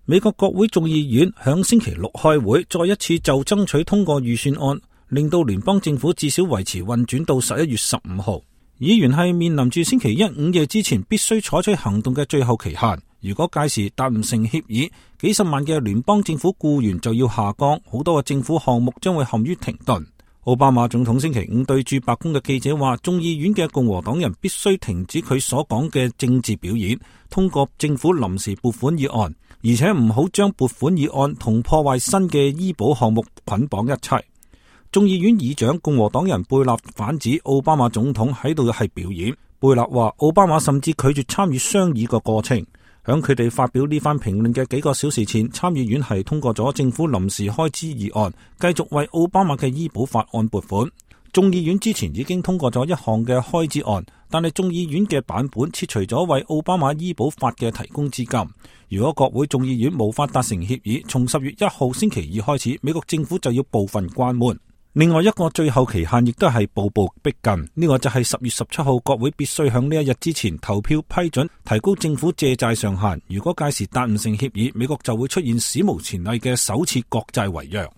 美國國會眾議院響星期六開會，再一次就爭取通過預算案，令到聯邦政府至少維持運轉到11月15號。議員係面臨住星期一午夜之前必須採取行動嘅最後期限。如果屆時達唔成協議，幾十萬嘅聯邦政府僱員就要下崗，好多嘅政府項目將會陷於停頓。奧巴馬總統星期五對住白宮嘅記者話，眾議院嘅共和黨人必須停止佢所講嘅政治表演，通過政府臨時撥款議案，而且唔好將撥款議案同破壞新嘅醫保項目捆綁一齊。眾議院議長共和黨人貝納反指奧巴馬總統喺度係表演。貝納話奧巴馬甚至拒絕參與商議個過程。響佢哋發表呢番評論嘅幾個小時前，參議院係通過咗政府臨時開支議案，繼續為奧巴馬嘅醫保法案撥款。眾議院之前已經通過咗一項嘅開支案，但係眾議院嘅版本切除咗為奧巴馬醫保法嘅提供資金。如果國會眾議院無法達成協議，從10月1號星期二開始，美國政府就要部分關門。另外一個最後期限亦都係步步逼近，呢個就係10月17號國會必須響呢一日之前投票批准提高政府借債上限。如果屆時達唔成協議，美國就會出現史無前例嘅首次國債違約。